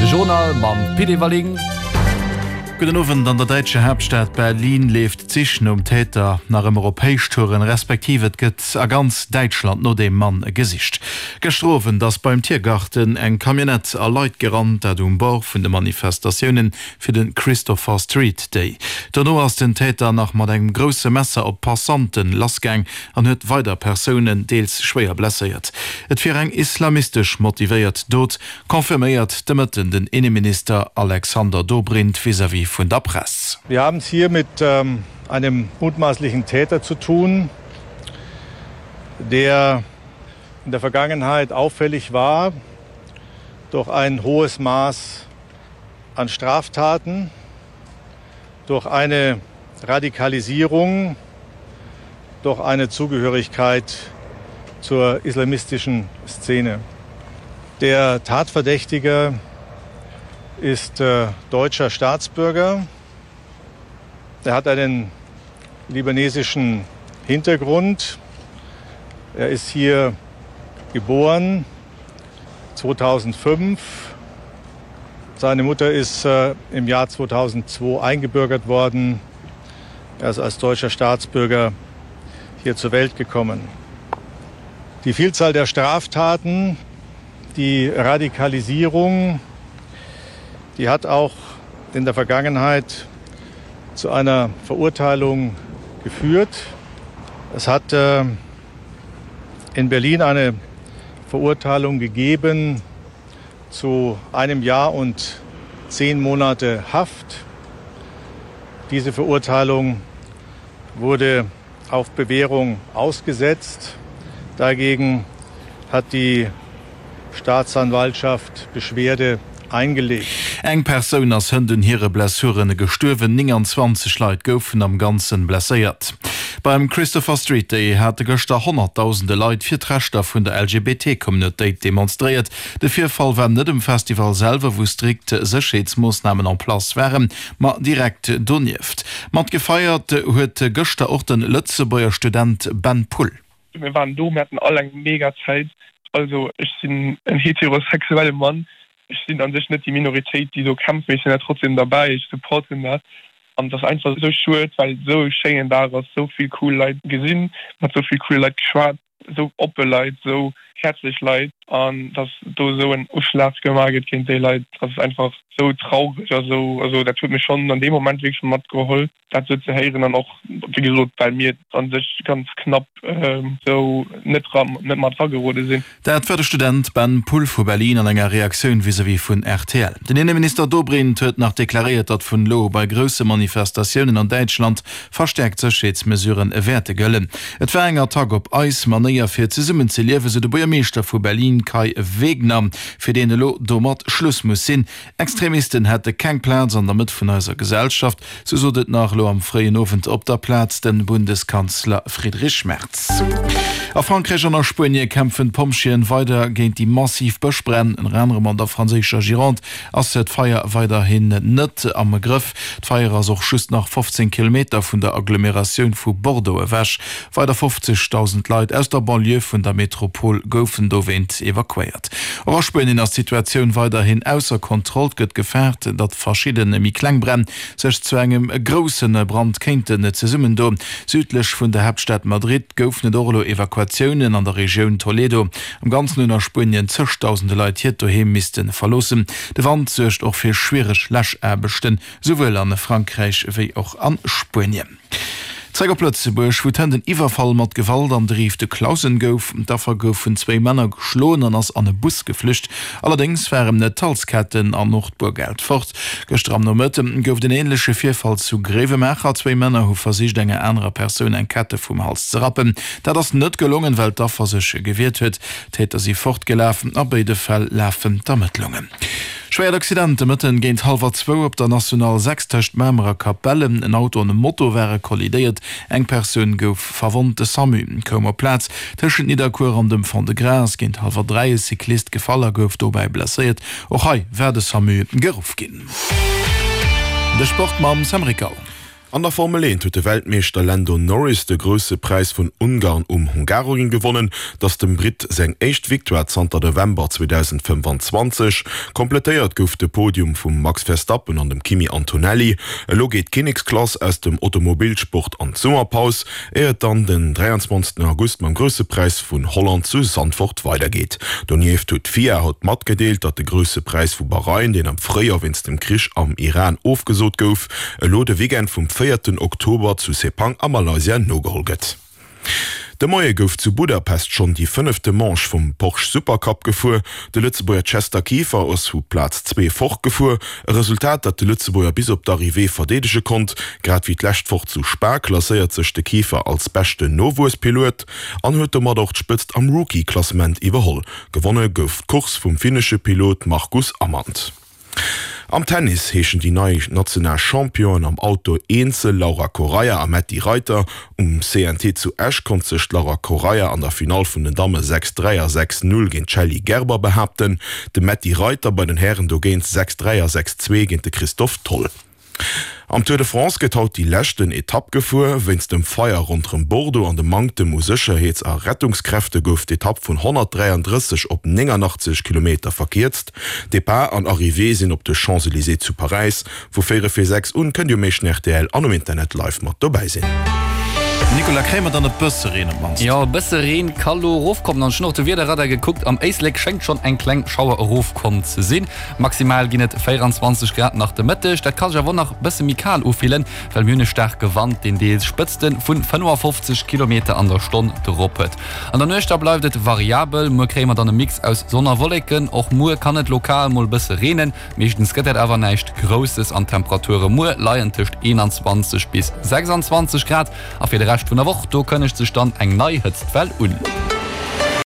De Journal mam Pit Everling. Gudden Owend. An der däitscher Haaptstad Berlin leeft d'Sich nom Täter nach ëmmer op Héichtouren, respektiv et gëtt a ganz Däitschland no deem Mann gesicht. Gëschter Owend ass beim Tiergarten eng Camionnette a Leit gerannt, dat um Bord vun de Manifestatioune fir de Christopher Street Day. Dono ass den Täter nach mat engem grousse Messer op d'Passanten lassgaang an huet weider Persounen deels schwéier blesséiert. Et wier eng islamistesch motivéiert Dot, confirméiert de Mëtten den Inneminister Alexander Dobrindt vis-à-vis vun der Press. Wir haben es hier mit einem mutmaßlichen Täter zu tun, der in der Vergangenheit auffällig war durch ein hohes Maß an Straftaten, durch eine Radikalisierung, durch eine Zugehörigkeit zur islamistischen Szene. Der Tatverdächtige ist äh, deutscher Staatsbürger. Er hat einen libanesischen Hintergrund. Er ist hier geboren 2005. Seine Mutter ist äh, im Jahr 2002 eingebürgert worden. Er ist als deutscher Staatsbürger hier zur Welt gekommen. Die Vielzahl der Straftaten, die Radikalisierung, die hat auch in der Vergangenheit zu einer Verurteilung geführt. Es hat äh, in Berlin eine Verurteilung gegeben zu einem Jahr und zehn Monate Haft. Diese Verurteilung wurde auf Bewährung ausgesetzt. Dagegen hat die Staatsanwaltschaft Beschwerde eingelegt. Eng Persoun ass hënt un hire Blessuren gestuerwen, 29 Leit goufen am Ganzen blesséiert. Beim Christopher Street Day hate gëschter honnertdausende Leit fir d'Rechter vun der LGBT-Communautéit demonstréiert. De Virfall war net um Festival selwer, wou strikt Sécherheetsmoossnamen en place waren, ma direkt donieft. Mat gefeiert huet gëschter och de Lëtzebuerger Student Ben Pull. Mir waren do, mir haten all eng mega Zäit. Also ech sinn en heterosexuelle Mann, ech sinn an sech net déi Minoritéit, déi do kämpft, mee ech sinn awer trotzdem derbäi, ech supporten dat. An et ass einfach esou schued, well et esou e schéinen Dag ass, esou vill cool Leit gesinn, mat esou vill coole Leit geschwat, esou oppe Leit, esou häerzlech Leit. An dass do esou en Uschlag gemaach gëtt géint déi Leit, ass einfach esou traureg a sou. Also dat huet mech schonn an deem Moment wierklech matgeholl. dat sou ze héieren an och wéi gesot well mir an sech ganz knapp sou net net mat ragerode sinn. Dat war de Student Ben Pull vu Berlin an enger Reaktioun vis-à-vis vun rtl. Den Inneminister Dobrindt huet nach deklaréiert, datt vun elo u bei grousse Manifestatiounen an Däitschland verstäerkt Sécherheetsmesuren wäerte gëllen. Et war eng Attack op eis Manéier fir zesummen ze liewen, sou de Buergermeeschter vu Berlin Kai Wegner, fir deen elo domat Schluss muss sinn. Extremisten hätte keng Plaz an der Mëtt vun eiser Gesellschaft, sou sot et nach elo am fréien Owend op der Plaz de Bundeskanzler Friedrich Merz. A Frankräich an a Spuenie kämpfen d'Pompjeeën weider géint déi massiv Bëschbränn. Ënner anerem an der franséischer Gironde ass d'Feier weiderhin net am Grëff. D'Feier ass och just nach 15 Kilometer vun der Agglomeratioun vu Bordeaux ewech. Weider 50.000 Leit aus der Banlieue vun der Metropol goufen dowéint evakuéiert. Och a Spuenien ass d'Situatioun weiderhin ausser Kontroll. Et gëtt gefaart, datt verschidde méi kleng Bränn sech zu engem grousse Brand kéinten zesummendoen. Südlech vun der Haaptstad Madrid goufen et och elo Evakuatiounen an der Regioun Toledo. Am Ganzen hunn a Spuenien zëgdausende Leit hiert Doheem misste verloossen. De Wand suergt och fir schwiereg Läschaarbechten, souwuel a Frankräich wéi och a Spuenien. Zréck op Lëtzebuerg, wou d'Hënt en Iwwerfall mat Gewalt an de Rives de Clausen gouf. D'Affer gouf vun zwéi Männer geschloen an ass an e Bus geflücht. Allerdéngs waren d'Halsketten an och d'Boergeld fort. Gëschter am Nomëtte gouf et en änleche Virfall zu Gréiwemaacher. Zwéi Männer hu versicht enger anerer Persoun eng Kette vum Hals ze rappen. Dat ass net gelongen, well d'Affer sech gewiert huet. D'Täter si fortgelaf. A béide Fäll lafen d'Ermëttlungen. Schwéiert Accident de Mëtten géint hallwer zwou op der National 6 tëscht Mamer a Capellen. En Auto an e Moto ware kollidéiert, eng Persoun gouf verwonnt. De Samu koum op d'Plaz. Tëschent Nidderkuer an dem Fond-de-Gras ass géint hallwer 3 e Cyclist gefall a gouf dobäi blesséiert. Och hei war de Samu geruff ginn. De Sport mam Sam Rickal. An der Formel 1 huet de Weltmeeschter Lando Norris de Grousse Präis vun Ungarn um Hungaroring gewonnen. Et ass dem Britt seng éischt Victoire zanter November 2025. Kompletéiert gouf de Podium vum Max Verstappen an dem Kimi Antonelli. Elo geet d'Kinneksklass aus dem Automobilsport an d'Summerpaus, éier et dann den 23 August mam Grousse Präis vun Holland zu Zandvoort weidergeet. Donieft huet d'FIA haut matgedeelt, datt de Grousse Präis vu Bahrain, deen am Fréijoer wéinst dem Krich am Iran ofgesot gouf, elo de Weekend vum véierten Oktober zu Sepang a Malaysia nogeholl gëtt. De Moie gouf zu Budapest schonn déi fënnefte Manche vum Porsche Supercup gefuer. De Lëtzebuerger Chester Kieffer ass vu Plaz 2 fortgefuer. E Resultat, dat de Lëtzebuerger bis op d'Arrivée verdeedege konnt. Grad wéi d'lescht Woch zu Spa klasséiert sech de Kieffer als beschten Nowuesspiloet an huet domat och d'Spëtzt am Rookie-Klassement iwwerholl. Gewonne gouf d'Course vum finnesche Pilot Marcus Amand. Am Tennis heeschen déi nei national Championen am Outdoor Eenzel Laura Correia a Metty Reiter. Um CNT zu Esch konnt sech d'Laura Correia an der Finall vun den Damme 6, 3 a 6, 0 géint d'Shelly Gerber behaapten. De Metty Reiter bei den Hären dogéint 6, 3 a 6, 2 géint de Christophe Tholl. Am Tour de France gëtt haut déi leschten Etapp gefuer. Wéinst dem Feier ronderëm Bordeaux an dem Manktem u Sécherheets a Rettungskräfte gouf d'Etapp vun 133 op 89 Kilometer verkierzt. Depart an Arrivée sinn op de Champs-Elysées zu Paräis. Vu véierel vir 6 un kënnt Dir um éischten rtl an um Internet live mat dobäi sinn. Nicolas, kréie mer dann e bësse Reen op d'mannst? Jo, e bësse Reen ka lo erofkommen an ech hunn och de Wiederradar gekuckt, am Éislek schéngt schonn eng kleng Schauer erofkomm ze sinn. Maximal ginn et 24 Grad nach de Mëtteg. Dat ka sech awer och nach bësse méi kal ufillen, well mir hunn e staarke Wand, deen deels Spëtzte vu 55 Kilometer an der Stonn drop huet. An der Nuecht da bleift et variabel. Muer kréie mer dann e Mix aus Sonn a Wolleken. Och muer kann et lokal mol bësse reenen, meeschtens gëtt dat awer näischt Grousses an d'Temperature muer leien tëscht 21 bis 26 Grad. A fir de Rescht vun der Woch, do kënnegt sech dann eng nei Hëtztwell un.